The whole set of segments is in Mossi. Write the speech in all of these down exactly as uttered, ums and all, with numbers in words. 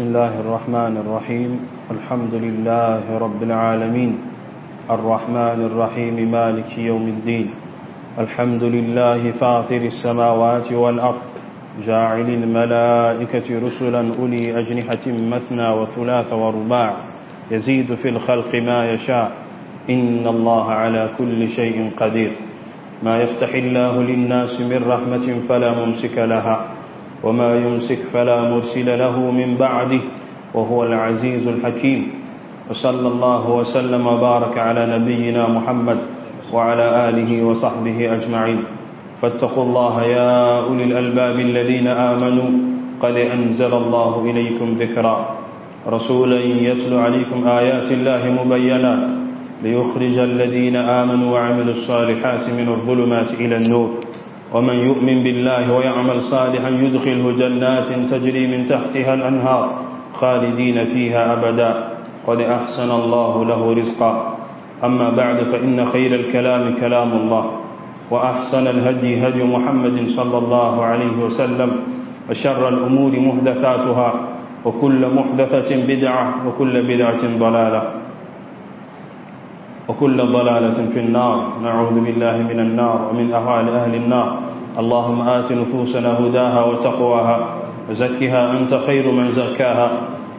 بسم الله الرحمن الرحيم الحمد لله رب العالمين الرحمن الرحيم مالك يوم الدين الحمد لله فاطر السماوات والأرض جاعل الملائكة رسلا أولي أجنحة مثنى وثلاث ورباع يزيد في الخلق ما يشاء إن الله على كل شيء قدير ما يفتح الله للناس من رحمة فلا ممسك لها وما يمسك فلا مرسل له من بعده وهو العزيز الحكيم وصلى الله وسلم وبارك على نبينا محمد وعلى آله وصحبه أجمعين فاتقوا الله يا أولي الألباب الذين آمنوا قد أنزل الله إليكم ذكرا رسولا يتلو عليكم آيات الله مبينات ليخرج الذين آمنوا وعملوا الصالحات من الظلمات إلى النور ومن يؤمن بالله ويعمل صالحا يدخله جنات تجري من تحتها الأنهار خالدين فيها أبدا قد أحسن الله له رزقا أما بعد فإن خير الكلام كلام الله وأحسن الهدي هدي محمد صلى الله عليه وسلم وشر الأمور محدثاتها وكل محدثة بدعة وكل بدعة ضلالة وكل ضلالة في النار نعوذ بالله من النار ومن أهوال أهل النار اللهم آت نفوسنا هداها وتقواها وزكها أنت خير من زكاها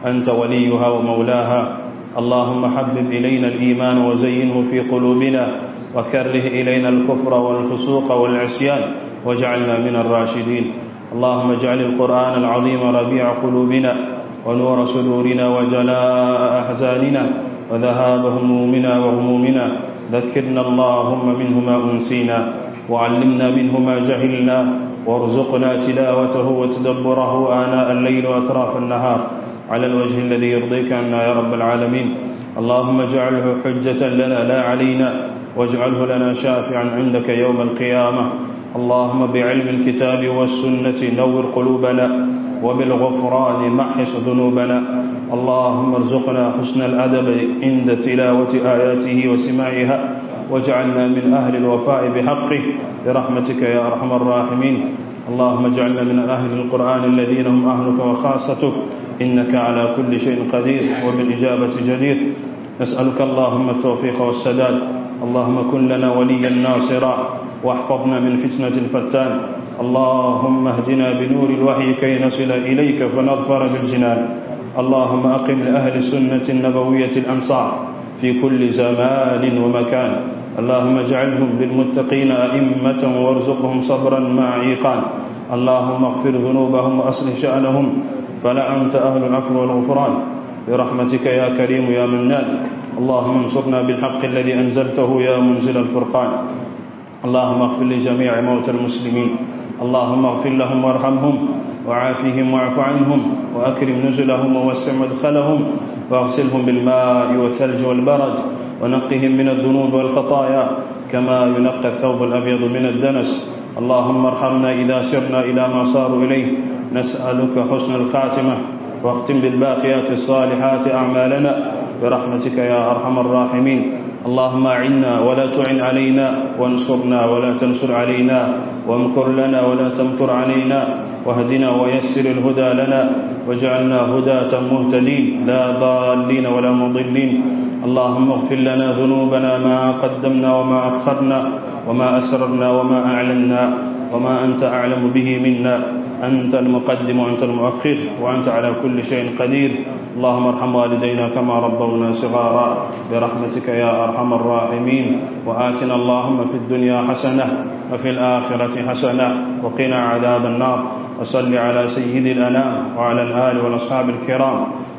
أنت وليها ومولاها اللهم حبب إلينا الإيمان وزينه في قلوبنا وكره إلينا الكفر والفسوق والعصيان واجعلنا من الراشدين اللهم اجعل القرآن العظيم ربيع قلوبنا ونور صدورنا وجلاء أحزاننا وذهاب همومنا وغمومنا ذكرنا اللهم منه ما أنسينا وعلمنا منه ما جهلنا وارزقنا تلاوته وتدبره آناء الليل وأطراف النهار على الوجه الذي يرضيك عنا يا رب العالمين اللهم اجعله حجة لنا لا علينا واجعله لنا شافعا عندك يوم القيامة اللهم بعلم الكتاب والسنة نور قلوبنا وبالغفران محص ذنوبنا اللهم ارزقنا حسن الأدب عند تلاوة آياته وسماعها واجعلنا من أهل الوفاء بحقه برحمتك يا أرحم الراحمين اللهم اجعلنا من أهل القرآن الذين هم أهلك وخاصتك إنك على كل شيء قدير وبالإجابة جدير نسألك اللهم التوفيق والسداد اللهم كن لنا وليا ناصرا واحفظنا من فتنة الفتان اللهم اهدنا بنور الوحي كي نصل إليك فنظفر بالجنان اللهم أقم لأهل السنة النبوية الأمصار في كل زمان ومكان اللهم اجعلهم للمتقين أئمة وارزقهم صبرا مع إيقان اللهم اغفر ذنوبهم وأصلح شأنهم فلا أنت أهل العفو والغفران برحمتك يا كريم يا منان اللهم انصرنا بالحق الذي أنزلته يا منزل الفرقان اللهم اغفر لجميع موتى المسلمين اللهم اغفر لهم وارحمهم وعافهم واعف عنهم وأكرم نزلهم ووسع مدخلهم واغسلهم بالماء والثلج والبرد ونقهم من الذنوب والخطايا كما ينقى الثوب الأبيض من الدنس اللهم ارحمنا إذا سرنا إلى ما صاروا إليه نسألك حسن الخاتمة واختم بالباقيات الصالحات أعمالنا برحمتك يا أرحم الراحمين اللهم أعنا ولا تعن علينا وانصرنا ولا تنصر علينا وامكر لنا ولا تمكر علينا واهدنا ويسر الهدى لنا واجعلنا هداة مهتدين لا ضالين ولا مضلين اللهم اغفر لنا ذنوبنا ما قدمنا وما أخرنا وما أسررنا وما أعلنا وما أنت أعلم به منا أنت المقدم وأنت المؤخر وأنت على كل شيء قدير اللهم ارحم والدينا كما ربونا صغارا برحمتك يا أرحم الراحمين وآتنا اللهم في الدنيا حسنة وفي الآخرة حسنة وقنا عذاب النار وصل على سيد الأنام وعلى الآل والأصحاب الكرام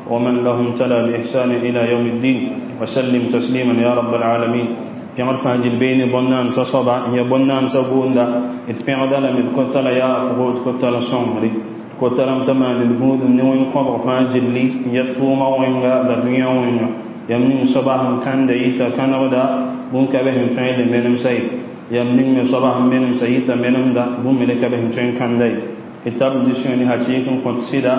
ومن لهم تلا بإحسان إلى يوم الدين وسلم تسليما يا رب العالمين pẽgd fãa gil beene bõn-naamsã soaba n ya bõn-naamsã gʋʋnda d pẽgda lame d kota la yaafgo d kota la sõngre d kota lame t'a maan d gũudum ne wẽn-kõbg fãa gilli n ya tʋʋmã wẽnga la dũyã wẽnga yam ning soaba sẽn kãnda yita kãnegda bũn-ka be sẽn tõe n le menemsa ye yam ning me soaba sẽn menemsa yita menemda bũmb me le ka be sẽn tõe n kãnda ye d tab disõ ne hakɩɩk n kõt sɩda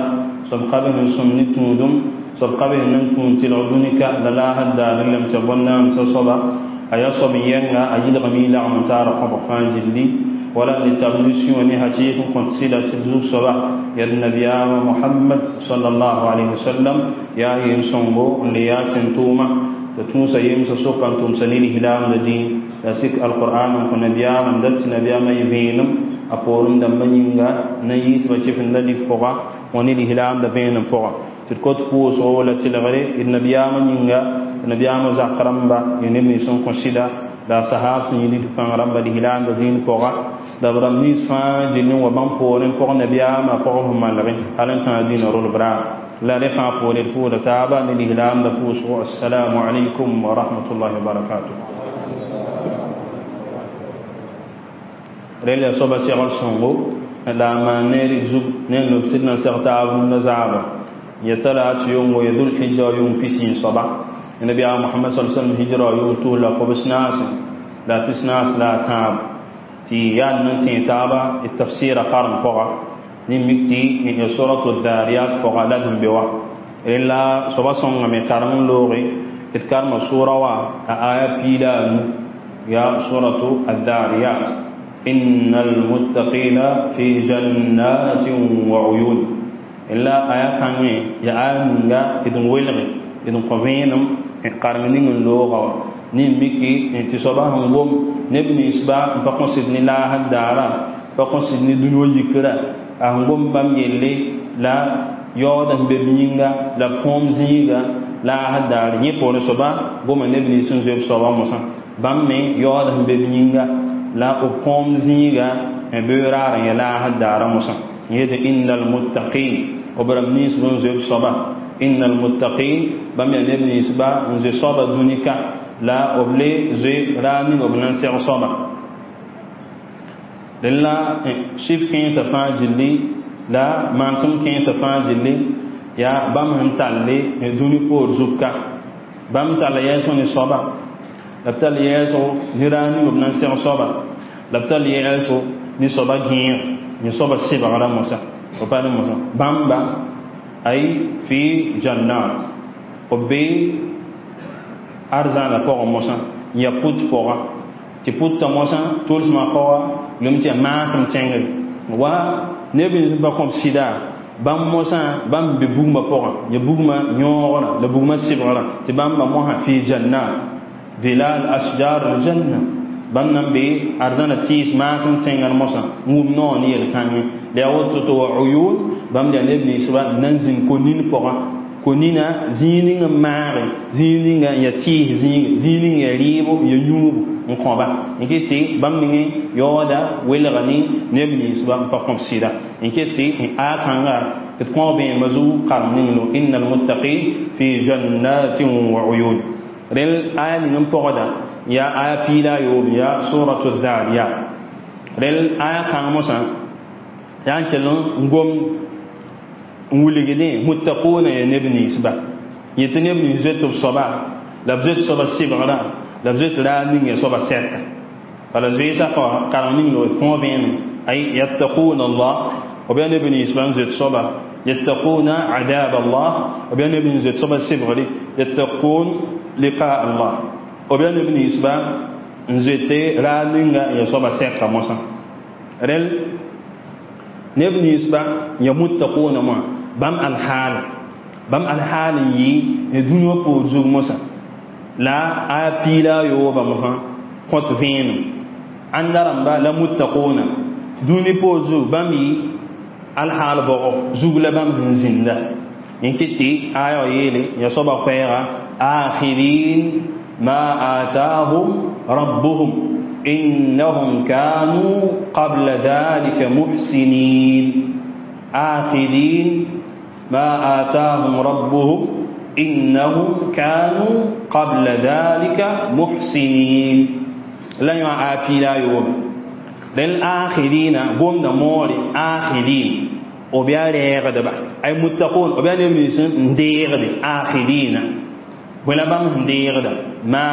soab ka be sẽn sõm ne tũudum soab ka be sẽn nan tũud tɩlg dũni-ka la laasd daar lame t'a bõn-naamsã soaba a yaa soab yɛnga a yɩlgame y lagm n taara kõbg fãa gilli Wala ni tablusi wani haci kun kont sida tɩ zug soaba yaa nabiyaama Muhammad sallallahu alaihi wasallam yaa yem sõngo n le yaa tẽn-tʋʋma t'a tũusa yemsã soka n tʋmsa ne lislaamda dĩin la sik alqur'an n kõ nabiyaamã n dat tɩ nabiyaamã yɩ vẽenem a poorem dãmbã yĩnga na yiisbã kɩfenda lik pʋga wã ne lislaamda vẽenem pʋga tɩ d kot pʋʋsgo la tɩlgre d nabiyaamã yĩnga nabiyaamã zak rãmba ya neb nins n kõ sɩda la sahab sẽn yĩl d pãng rãmba lislaamda dĩin pʋga la b rãmb nins fãa gill n wa bãmb poorẽ pʋg nabiyaamã pʋg f malgẽ hal n tãag dĩinã rolb raar la rẽ fãa poore d pʋʋda taaba ne lislaamda pʋʋsgo. Assalamu alaikum wa rahmatullahi wa barakatuh. Rel ya soaba segl sõngo la a maan ne rɩk zug ne n lob sɩd na n seg taab rũndã zaaba ya tala tɩ yʋngo ya dhulhijja yʋng pisi n soaba nabiyaam Muhammad sal sallam hijra yʋng tus la kobs naase la pis naas la a tãab tɩ yaa n tẽ taaba d tafsɩɩra karem pʋga ne mik tɩ ya suratu dhariyat pʋga la d sẽn be wa rella soaba sõngame karem n looge d karema sʋʋra wa a aya piila a nu ya suratu adhariyat. Innal muttaqina fi jannatin wa uyun illa aya kãngẽ ya aya ninga d n welge d n kõ vẽenem n karem ning n looga wa ne miki tɩ soaba sẽn gom neb ninsba n pa kõsd ne laasd daara pa kõsd ne dũni wã yikra a sẽn gom bãmb yelle la yaooda sẽn be b yĩnga la põom zĩiga laasd daar yẽ poorẽ soaba goma neb nins n zoe b soaba mosã bãmb me yaooda sẽn be b yĩnga la b põom zĩiga n bee raar n ya laasd daara mosã yetɩ innal muttaqin b rãmb nins n zoe b soaba innal muttaqin bãmb yaa neb ninsba n zoe soaba dũni ka la b le zoe raar ning b na n seg soaba dẽn la sif kẽensã fãa gilli la manesem kẽensã fãa gilli yaa bãmb sẽn talle dũni poor zug ka bãmb talla yɛɛsg ne soaba la b tall yɛɛsgo ne raar ning b na n seg soaba la b tall yɛɛsgo ne soaba gẽeg ne soaba sɩbgrã mosã b pa ne mosã bãmba ay fi jannat b be arzãna pʋgẽ mosã n yaa put pʋga tɩ putã mosã tʋlsmã pʋga lem tɩ yaa maasem tẽngre wa neb nins n pa kõb sɩda bãmb mosã bãmb be bugmã pʋgã ya bugmã yõogrã la bugmã sɩbgrã tɩ bãmba mosã fi jannat vilal ashjar aljanna bãmb nan be arzãna tɩɩs maasem tẽngr mosã n wʋm noor ne yel-kãngẽ la yaa woto tɩ wa uyun bãmb yaa neb ninsba n na n zĩnd ko-nin pʋgã ko-nina zĩig ning n maage zĩig ninga n yaa tɩɩs zĩiga zĩig ning yaa rɩɩbo ya yũubu n kõba n ket tɩ bãmb ningẽ yaooda welga ne neb ninsba n pa kõb sɩda n ket tɩ n aya kãnga d kõo vẽenemã zug karem ning lo innal muttaqin fi jannatin wa uyun rel aya ning n pɔgda yaa aya piila a yoob yaa suratu dhariyat rel aya kãng mosã yaa n kell n gom n wilgdẽ muttaquna ya neb ninsba yetɩ neb nins zoet b soaba la b zoet soaba sɩbgrã la b zoet raar ning ya soaba sɛka bala zoeesã karem ning lo d kõo vẽenem ay yattaquna Allah b yaa neb ninsba n zoet soaba yattaquna adab Allah b yaa neb nins zoet soaba sɩbgre yattaqun liqa Allah b yaa neb ninsba n zoete raar ninga ya soaba sɛka mosã rel neb ninsba ya muttaquna moã bãmb alhaala bãmb alhaal n yɩ ne dũni wã poor zug mosã la a piila a yooba mosã kõt vẽenem ãnda rãmba la muttaquna dũni poor zug bãmb yɩ alhaal bɔgɔ zug la bãmb sẽn zĩnda n ket tɩ aya wã yeele ya soaba koɛɛga akhirin ma atahum rabbuhum innahum kanu qabla dhalika muhsinin akhirin ma atahum rabbuhum innahum kanu qabla dhalika muhsinin la yõ a piila a yoobe rẽn akhirina gomda moore akhirin b yaa rɛɛgdba ay muttaqun b yaa neb nins n deegde akhirina bõe la bãmb sẽn deegda ma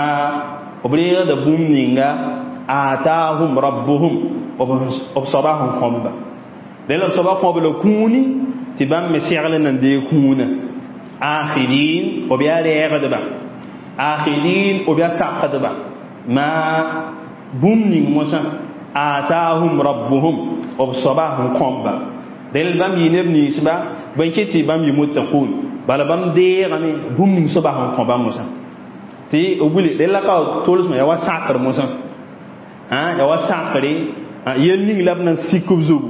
b reegda bũmb ninga atahum rabbuhum b soaba sẽn kõbba rẽ la b soaba kõb la kũuni tɩ bãmb me segl n na n deeg kũunã akhirin b yaa rɛɛgdba akhirin b yaa sakdba ma bũmb ning mosã Atahum rabbuhum b soaba sẽn kõbba rel bãmb yɩ neb ninsba bõe kɩ tɩ bãmb yɩ muttaqun bala bãmb deegame bũmb ning soaba sẽn kõ bãmb mosã tɩ b wili rella ka tolsmã yaa wa sakr mosã yaa wa sakre yel ning la b na n sik b zugu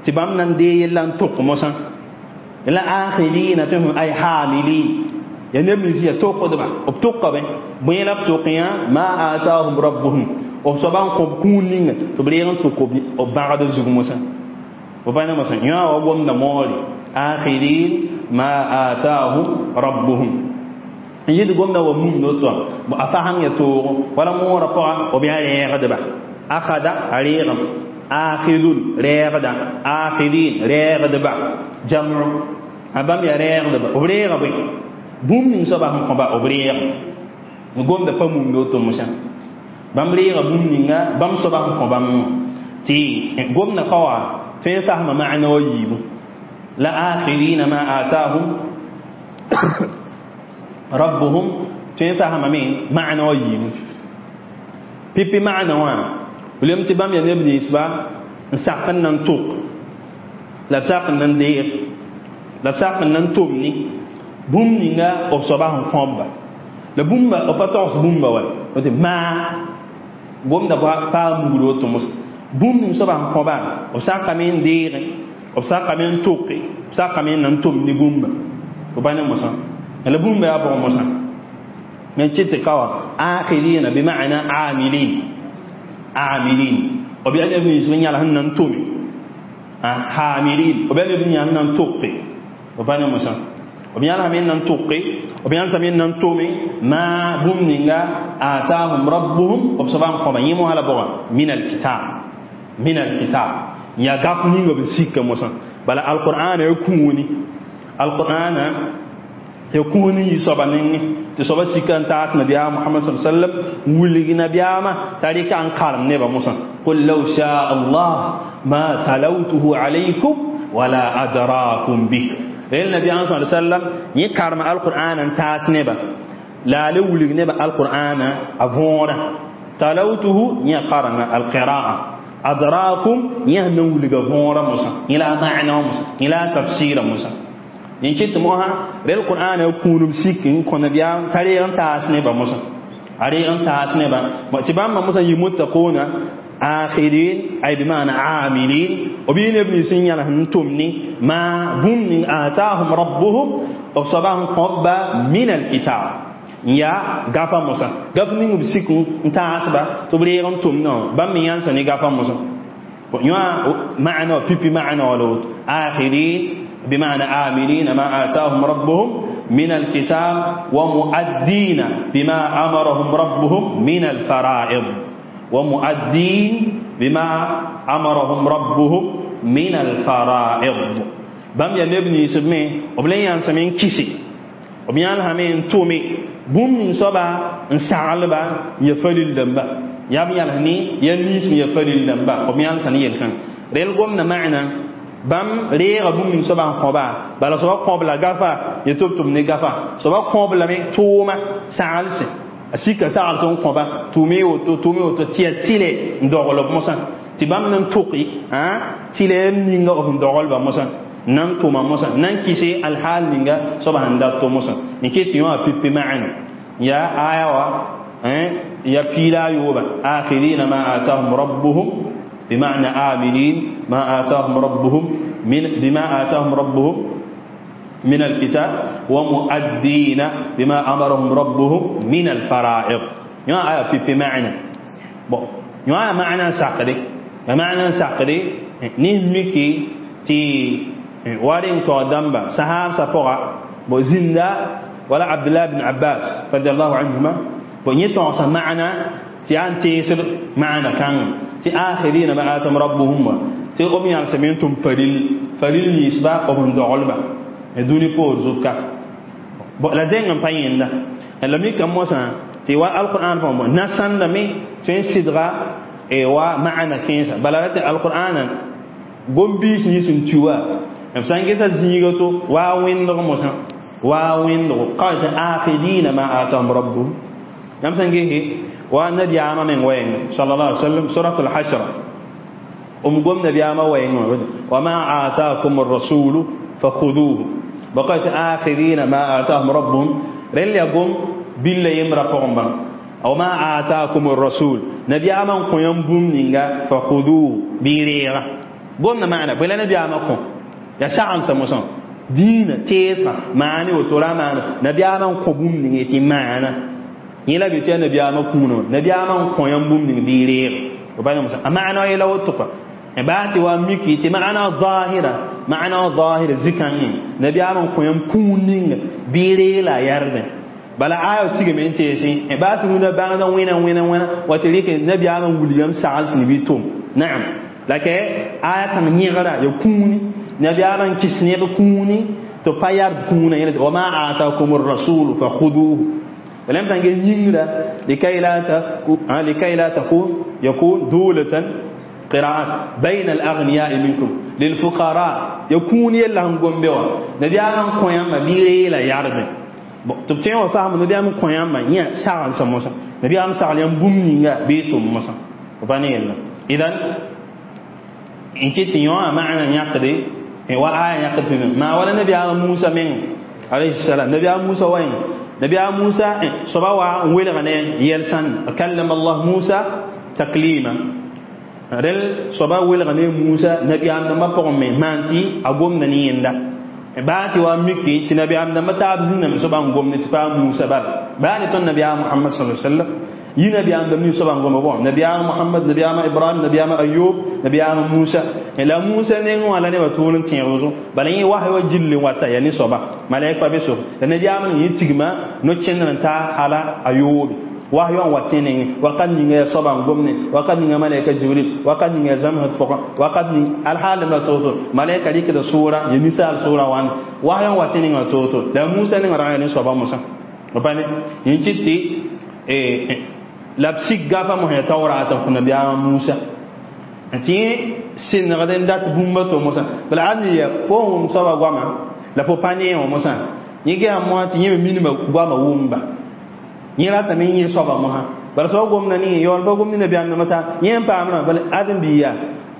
tɩ bãmb na n dee yella n tok mosã la akhirina tɩ ay hamilin ya neb nins yaa tokdba b tokame bõe la b tok yã ma atahum rabbuhum b soaba n kõb kũun ninga tɩ b reeg n tok b bãgd zug mosã b pa ne mosã yã wa gomda moore akhirin ma atahum rabbuhum n yɩd gomda wa mum noto a fasãng ya toogo wala moorã pʋga b yaa rɛɛgdba akhada a reegem akhidun rɛɛgda akhirin rɛɛgdba jam'u a bãmb yaa rɛɛgdba b reega bõe bũmb ning soaba sẽn kõba b reegem gomda pa mumd woto mosã bãmb reega bũmb ninga bãmb soaba sẽn kõ bãmb tɩ gomda ka wa tõe n fasma maana wa yiibu la akhirina ma atahum rabbuhum tõe n fasmame maana wa yiibu pipi maana wã lem tɩ bãmb yaa neb ninsba n sak n na n tok la b sak n na n deeg la b sak n na n tʋm ne bũmb ninga b soaba sẽn kõbba la bũmba b pa togs bũmba wa tɩ maa gomda paa mugr woto mosã bũmb ning soaba sẽn kõba b sakame n deege b sakame n toke b sakame n na n tʋm ne bũmba b pa ne mosã la bũmba yaa bʋg mosã me kɩ tɩ ka wa akhirina bima'na amilin amilin b yaa neb nins n yãl sẽn na n tʋme hamilin b yaa neb yãl na n toke b pa ne mosã b yãlsame n na n toke b yãlsame n na n tʋme ma bũmb ninga atahum rabbuhum b soaba n kõba yẽ mosã la bʋga min alkitab min alkitab yaa gaf ninga b sika mosã bala alqur'ana ya kũuni alqur'ana ya kũuni yɩ soaba nengẽ tɩ soaba sika n taas nabiyaam Muhammad sallallahu alaihi wasallam wilg nabiyaamã t'a rɩka n karem nebã mosã qul law shaa Allah ma talawtuhu alaykum wala adraakum bih rel nabiyaam sallallahu alaihi wasallam yẽ karema alqur'ana n taas neba la a le wilg neba alqur'ana a võora talawtuhu yẽ karengã alqira'a adraakum yẽ sẽn na n wilga võora mosã yẽ la a ma'na wã mosã yẽ la a tafsɩɩra mosã yẽ kɩ tɩ mosã rel qur'ana kũunum sik n kõ nabiyaam t'a reeg n taas nebã mosã a reeg n taas nebã tɩ bãmba mosã yɩ muttaquna akhirin ay bima'na amilin b yɩ neb nins n yãls n tʋm ne ma bũmb ning atahum rabbuhum b soaba sẽn kõbba min alkitab n yaa gafa mosã gaf ning b sik n taasba tɩ b reeg n tʋmdã bãmb me yãlsa ne gafa mosã yõ ma'na wa pipi ma'na wa la woto akhirin بمعنى آمنين ما آتاهم ربهم من الكتاب ومؤدين بما أمرهم ربهم من الفرائض ومؤدين بما أمرهم ربهم من الفرائض بام يا نبني سمي وبلين يان كيسي وبيان همين تومي بوم من صبا نسعلبا يفلل دمبا يا بيان هني ينيس يفلل دمبا وبيان سني يلكن ريل قمنا معنا bãmb reega bũmb ning soaba n kõba bala soaba kõb la gafa yẽ tɩ b tʋm ne gafa soaba kõb lame tʋʋma saglse a sika saglse n kõba tʋʋme woto tʋʋme woto tɩ yaa tɩlɛ n dogl b mosã tɩ bãmb na n toke tɩlɛ ninga b sẽn doglba mosã na n tʋma mosã na n kɩse alhaal ninga soaba sẽn dat to mosã n kɩ tɩ yõ a pipi ma'ana yaa aya wa ya piila a yooba akhirina ma atahum rabbuhum بمعنى آمنين ما آتاهم ربهم من بما آتاهم ربهم من الكتاب ومؤدين بما أمرهم ربهم من الفرائض يا آية في في معنى bon يا معنى ساقري معنى ساقري نهمكي تي وارين تو دمبا صحاب سفوغا بو زندا ولا عبد الله بن عباس رضي الله عنهما بو يتو معنى تي أن تيسر معنى كان تي آخرين ما آتهم ربهم تي أم يالسمين فريل فريل نيسبا أبن دعولبا دوني بور زوكا بو لا دين باين لا لم يكن موسى تي وا القرآن فهم نسان لمي تين سدغا اي وا معنى كينسا بلغت القرآن gombiis nins n tu wã b sã n gesa zĩiga to waa wẽndg mosã waa wẽndgo ka tɩ akhirina ma atahum rabbuhum yãmb sã n gese wa nabiyaamã meng wɛɛnga sallallahu alaihi wasallam surat al-hashr Um gom nabiyama wayŋ وما آتاكم الرسول فخذوه بقيت آخذين ما آتاهم ربهم رل يقوم بالله يمرا قوم أو ما آتاكم الرسول نبي أمان قيم بوم نينغا فخذوه بيريغا قمنا معنا بلا نبي أمان قم يا ساعة سموسان دين تيسا معني وترى معنا نبي أمان قبوم نينغا تي معنا يلا بيتي نبي أمان كونو نبي أمان قيم بوم نينغا بيريغا وبعدين مثلا معنى يلا وتقى باتي وميكي تي معنى ظاهرة معنى ظاهرة زكاني نبي أمان قيم كون نينغا بيريلا يردن bala ayo sige men tesi e ba tu na bangda wena wena wena watirike nabi aman william sa'al ni bitum na'am lake aya kan nyigra ya kuni nabi aman kisne be kuni to payar kuna yana wa ma ataakum ar-rasul fakhuduhu ولم تنجي نينغرا لكي لا تكون لكي لا تكون يكون دولة قراءات بين الأغنياء منكم للفقراء يكون يلا هم بيوا نبي aman koyam bire la yarbe tɩ b tõe wã fasem nabiyaam kõ yãmbã yẽ saglsã mosã nabiyaam sagl yãmb bũmb ninga bɩ tʋm mosã pa ne yella idan n kɩt tɩ yõ maana yãkde wa aya yãkd pĩme maa wala nabiyaam Musa meng alayhi salam nabiyaam Musa wa yẽnga nabiyaam Musa soaba wa n welga ne yɛl sãnd kallama Allah Musa taklima rel soaba welga ne Musa nabiyaam dãmbã pʋgẽ me maan tɩ a gomda ne yẽnda baati wa miki ti nabi am dama tab zinna mi soban gomne ti pa Musa bal baani ton nabi Muhammad sallallahu alaihi wasallam yi nabi am dam ni soban gombe bon nabi Muhammad nabi am Ibrahim nabi am Ayyub nabi am Musa ila Musa ne wala ne batun tin rozo bala yi wahyi wa jilli wata ya ni soba malaika be so nabi am ni tigma no chenna ta hala Ayyub wahyi wa watene waqad ni nga soban gomne waqad ni nga malaika Jibril waqad ni nga zamhat poka waqad ni alhal la toto malaika dik da sura ya misal sura wan wahyi wa watene nga toto da Musa ne ngara ne soba Musa bane yin citti eh la psik gafa mo ya tawrata ko nabi Musa anti sin gaden dat bumba to Musa bal adni ya fo soba gwama la fo panye o Musa yige amwa ti yeme minima gwama wumba yẽra tame yẽ soaba mosã bala soab gomda ne yaool pa gomd nabiyaam dãmba t'a yẽ n paamdã bala ãdem-bi yaa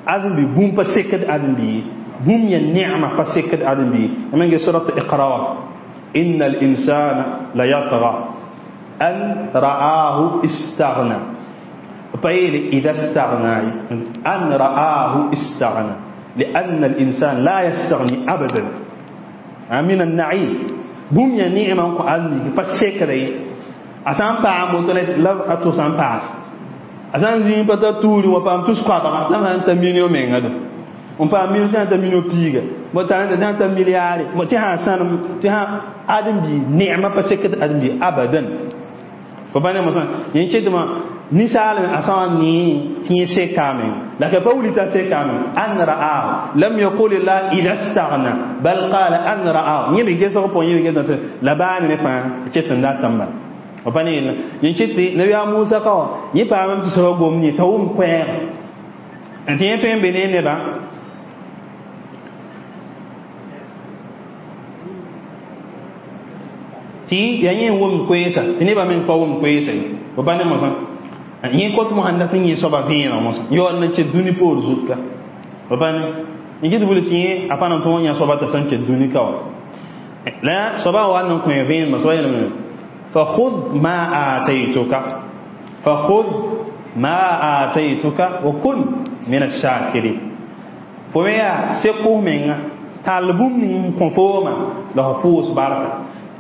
ãdem-bi bũmb pa sekd ãdem-bi ye bũmb yã neema pa sekd ãdem-bi ye yãmb n ges surat Iqra wã inna al-insana la yatgha an ra'ahu istaghna pa yeele ida staghna an ra'ahu istaghna لأن الإنسان لا يستغني أبدا من النعيم bũmb yã neema n kõ ãdem-bi pa sekda ye a sã n paam woto la a tʋs n paas a sã n zĩig pa ta tuuri wa paam tus koabga la sã n ta milio menga do n paam milio tɩ sã n ta milio piiga tɩ sã n ta milliare tɩ sã sãnem tɩ sã ãdem-bi neema pa sekd ãdem-bi abadan fo pa ne mosã yẽ ketmã ninsaal a sã n nee tɩ yẽ sekame la ka pa willi t'a sekame an ra'ahu lam yaqul la ida staghna bal qala an ra'ahu yẽ me gesg pʋgẽ yẽ me gesg la baa ne fãa ket n dat n bala pa ne yella yẽ ket tɩ nabiyaam Musa ka wã yẽ paamame tɩ soaba gomd yẽ t'a wʋm koɛɛg n tɩ yẽ tõe n be ne nebã tɩ yaa yẽ n wʋmd koeesa tɩ nebã meng pa wʋmd koeesa ye fo pa ne mosã yẽ kot mosã n dat n yẽ soaba vẽeneg mosã yaool n ket dũni poor zut ka fo pa ne yẽ ket bʋl tɩ yẽ a pa na n tõog yã soaba t'a sẽn ket dũni ka wã la soaba wa n kõ vẽenemã soaba yeelame فخذ ما آتيتك فخذ ما آتيتك وكن من الشاكرين فويا سكو من طالبون من كونفورما له فوس بركة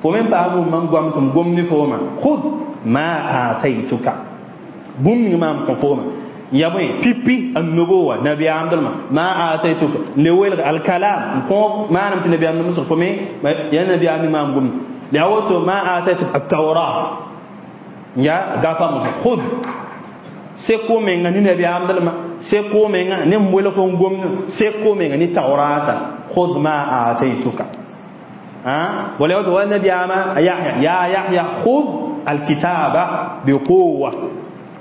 فمن بابو من قمتم قمني فوما خذ ما آتيتك بوم ما كونفورما يا بني بيبي النبوة نبي عبد الله ما آتيتك لويل الكلام ما نمت نبي عبد الله فمي يا نبي عبد ما قمني لأوتو ما آتيتك التوراة يا غافا خذ سكو menga ni nabi amdalma seko menga ni mbwele fo ngomna seko menga ni tawrata khudh ma ataytuka ha wala wato wa nabi ama yahya ya yahya khudh alkitaba biquwwa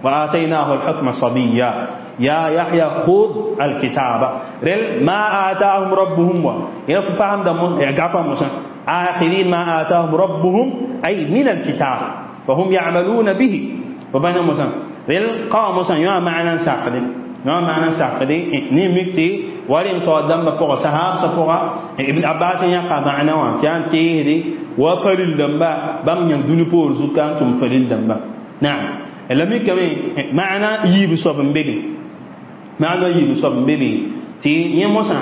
wa ataynahu alhukma sabiyya ya yahya khudh alkitaba rel ma atahum rabbuhum wa ya faham da mun ya gafa musa آخرين ما آتاهم ربهم أي من الكتاب فهم يعملون به وبين موسى ريل قام موسى يا معنى ساقد No maana sakdi ni mikti warin to damba pʋga sahab sa pʋga Ibn Abbas yãka maana wã tɩ yaa n teesde wa faril dãmba bãmb yãng dũni poor zuka n tʋm faril dãmba naam la mikame maana yiib soab n be be maana yiib soab n be be tɩ yẽ mosã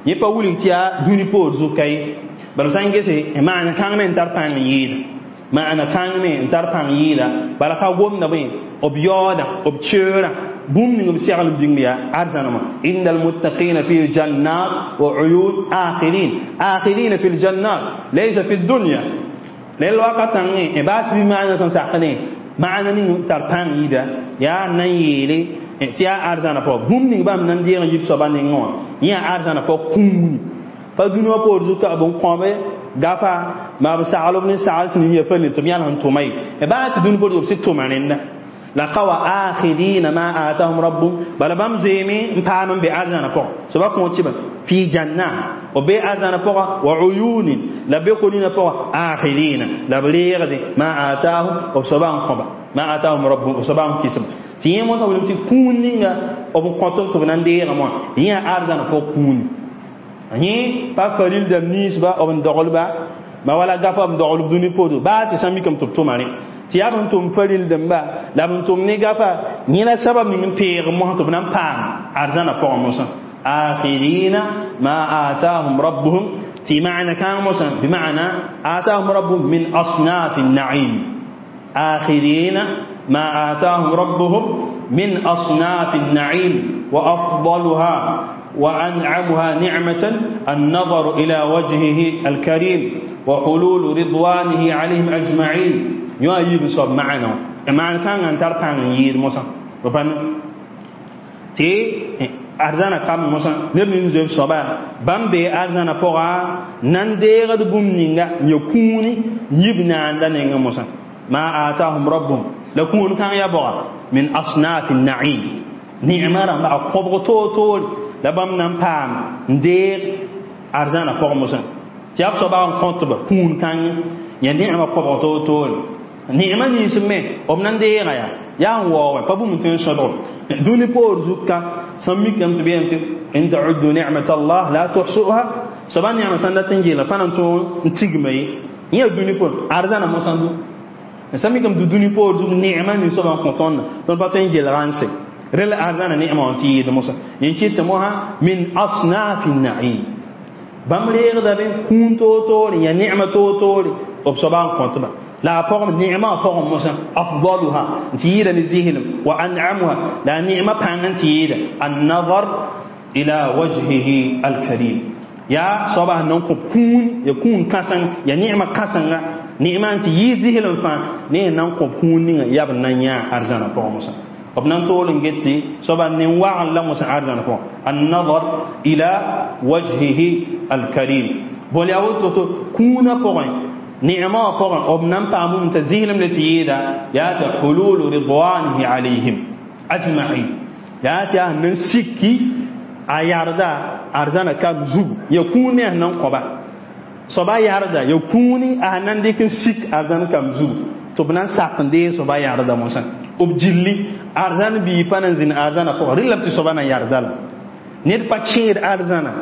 yẽ pa wilg tɩ yaa dũni poor zuka ye bala sã n gese maana kãng me n tar pãng n yɩɩda maana kãng me n tar pãng yɩɩda bala ka gomda bõe b yaooda b keoorã bũmb ning b segl n bĩng yaa arzãnamã inna almuttaqina fi ljannat wa uyun akhirin akhirina fi ljannat laysa fi dunya lel wakatãngẽ baa tɩ bɩ maana sẽn sakdẽ maana ning tar pãng yɩɩda yaa n na n yeele tɩ yaa arzãna pʋga bũmb ning bãmb na n deeg n yib soaba nengẽ wã yẽ yaa arzãna pʋg kũuni pa dũni wã poor zuka b n kõbe gafa ma b sagl b ne sagl sẽn ya fãne tɩ b yãls n tʋma ye baa tɩ dũni poor b sɩd tʋma rẽnda لقوا آخذين ما آتاهم ربهم بل بام زيمي مبام بأرزانا فوق سبا كونتي في جنة وبي أرزانا فوق وعيون لبيقولين فوق آخذين لبليغ ما آتاهم وسبا قبا ما آتاهم ربهم وسبا كيسب تي موسى ولم تكون أو كونتم تبنان دي غما هي أرزانا فوق كون هي با فريل دم نيس با أو ندغل با ما ولا غفا ندغل دوني بودو با تسامي كم تبتو tɩ yaa b tʋm faril dãmba la b tʋm ne gafa yẽ la sabab ning n peeg mosã tɩ b na n paam arzãna pʋgẽ mosã akhirina ma atahum rabbuhum tɩ maana kãng mosã bima'na atahum rabbuhum min asnaf an-na'im akhirina ma atahum rabbuhum min asnaf an-na'im wa afdaluha وأنعمها نعمة النظر إلى وجهه الكريم وحلول رضوانه عليهم أجمعين yõ a yiib soab maana maan kãngã n tar pãng n yɩɩd mosã b pa tɩ arzãna kam mosã neb nin zoe b soaba bãmb bee arzãna pʋga nan deegd bũmb ninga n ya kũuni yib naanda nengẽ mosã ma atahum rabbuhum la kũun kãng ya bɔga min asnaf an-na'im ne'ma rãmba a kõbg toor-toore la bãmb na n paam n deeg arzãna pʋgẽ mosã tɩ yaa b soaba n kõtba kũun kãng ya ne'ma kõbg toor-toore ne'ma nins me b na n deega yaa yaa n waoowẽ pa bũmb n tõe n sõdg dũni poor zuka sẽn mikame tɩ b yeelame tɩ in ta'uddu ni'mat Allah la tuhsuha soaba ne'ma sãn dat n geelga pa na n tõog n tigma ye yẽ yaa dũni poor arzãna mosã du sã mikame tɩ dũni poor zug ne'ma nins soaba n kõ tõndã tõnd pa tõe n gelga n se rel arzãna ne'ma wã tɩ yɩɩd mosã yẽ kɩt tɩ mosã min asnafi na'im bãmb reegda be kũun toor-toore ya ne'ma toor-toore b soaba n kõtba لا فقم نعمة فقم مثلا أفضلها تيرا نزيهلم وأنعمها لا نعمة بان تيرا النظر إلى وجهه الكريم يا صباح نونكو كون يكون كاسن يا نعمة كاسن نعمة أنت يزيهلم فان ني نونكو كون يا بنانيا أرزانا فقم مثلا وبنان تولن جتي صباح نوع الله مثلا أرزانا فقم النظر إلى وجهه الكريم بولياوتو كون فقم نعمة فقط أبنان بامون تزيلم لتيدا ياتي حلول رضوانه عليهم أجمعين ياتي أهنن سكي أياردا أرزانا كان زوب يكون أهنن قبا صبا ياردا يكون أهنن ديكن سك أرزانا كان زوب تبنان ساقن دي صبا ياردا موسى أبجلي أرزان بيفانا زين أرزانا فقط رلم تصبانا ياردا نير باتشير أرزانا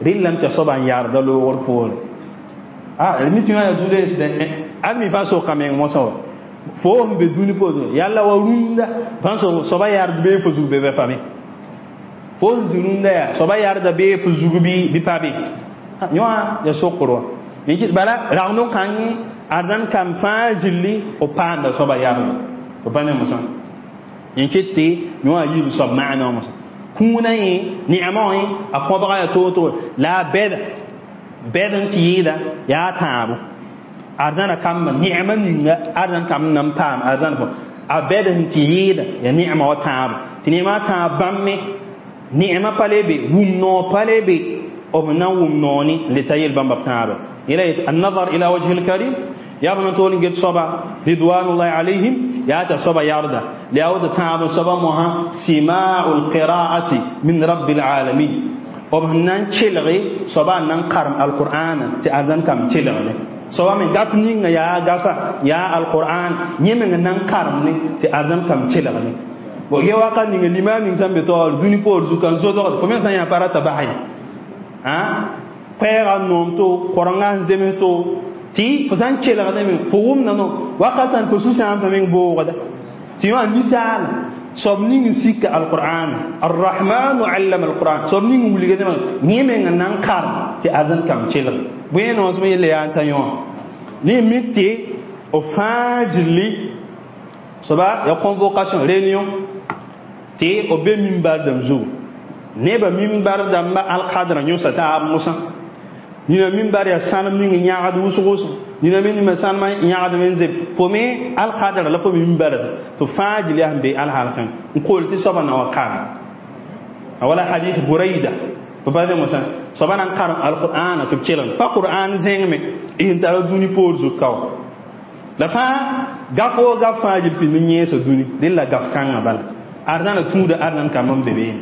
رلم تصبا ياردا لو ورفول ah mi tɩ ya zude ad mi pa soka meng mosã wa fo sẽn be dũni poorẽ yalla wa rũndã bãmb soaba yard bee fo zug be bɩ pa be fo sẽn zĩ rũndã yaa soaba yarda bee fo zug bɩ bɩ pa be yõwã ya sokr wã bala ragndo kãngẽ arzãn kam fãa gilli b paanda soaba yardã b pa ne mosã yẽ ket tɩ yõwã yiib soab maana wã mosã kũunã yẽ ne'mã wã a kõbga yaa toor-toore la a bɛda bɛd n tɩ yɩɩda yaa tãabo arzãna kamba ne'ma ninga arzãn kamb na n paam arzãn pʋgẽ a bɛd sẽn tɩ yɩɩda yaa ne'ma wa tãabo tɩ ne'ma tãab bãmb me ne'ma pa le be wum noor pa le be b na n wʋm noor ne le ta yel bãmba b tãaba yẽla yetɩ annazar ila wajhi lkarim yaa b na toor n get soaba ridwanullahi alayhim yaa t'a soaba yarda la yaa woto tãab n soaba mosã sima'u lqira'ati min rabbi lalamin b sẽn na n kelge soaba n na n karem alqur'ana tɩ arzãn kam kelgde soaba me gaf ninga yaa gafa yaa alqur'an yẽ meng n na n karem ne tɩ arzãn kam kelgde Bon ye wakat ninga limam ning sẽn be taoor dũni poor zuka n zodgd fo me sã n yã pa rata bas ye koɛɛga n noom to korengã n zems to tɩ fo sã n kelgdame fo wʋmda no wakat sã fo sũ-sãamsã meng boogda tɩ wã ninsaal soab ning n sika alqur'an arrahmanu allama alquran soab ning n wilgdame yẽ meng n na n karem tɩ arzãn kam kelg bõe noosem yella yaa n ta yõ ne mik tɩ b fãa gilli soaba ya convocation réunion tɩ b be mimbar dãmb zugu nebã mimbar dãmba alkadrã yõsa taab mosã nina mimbar yaa sãnem ning n yãgd wʋsg wʋsg nina me nima sãnemã yãgdme n zeb fo me alkadrã la fo me mimbarã tɩ fãa gil yaa sẽn be alhalkã n kool tɩ soabã na wa karem a wala hadith buraida b pa mosã soaba na n karem alqur'ana tɩ b kelg pa qur'an zẽngme n tara dũni poor zug ka wa la fãa gaf woo gaf fãa gil pĩnd n yẽesa dũni dẽn la gaf kãngã bala arzãna tũuda arzãn kambã n be beene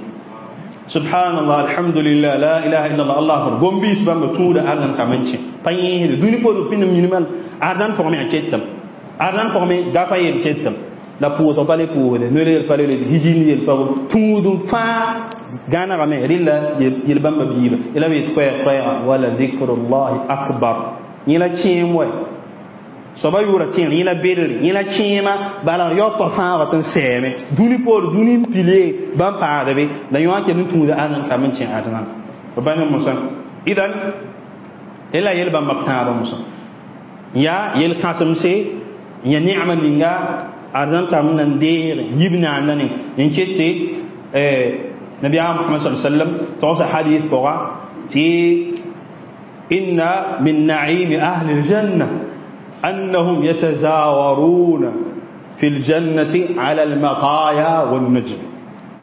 subhanallah alhamdulillah la ilaha illallah allah akbar gombiis bãmba tũuda arzãn kambã n kẽ pa yẽesde dũni poor pĩnd n minimã arzãn pʋgẽ a ketem arzãn pʋgẽ gafa yel ketem la pʋʋsg pa le pʋʋsde noel pa le hijin yel fa tũud fãa gãnegame rɩla yel bãmba biiba la b yet koɛɛg koɛɛga wala dhikrullahi akbar yẽ la kẽem wa soaba yʋʋra tẽeg yẽ la bedre yẽ la kẽema bala yaopa fãaga tɩ n sɛɛme dũni poor dũni n pilie bãmb paagda be la yõ kell n tũuda arzãn kam n kẽ arzãn b pa ne mosã idan la yel bãmba b tãabã mosã yaa yel kãsemse yã neema ninga arzãn kam n nan deege yib naanda ne n ket tɩ nabiyaam Muhammad sa sallam togsa hadith pʋga tɩ inna min naimi ahli aljanna أنهم يتزاورون في الجنة على المطايا والنجم.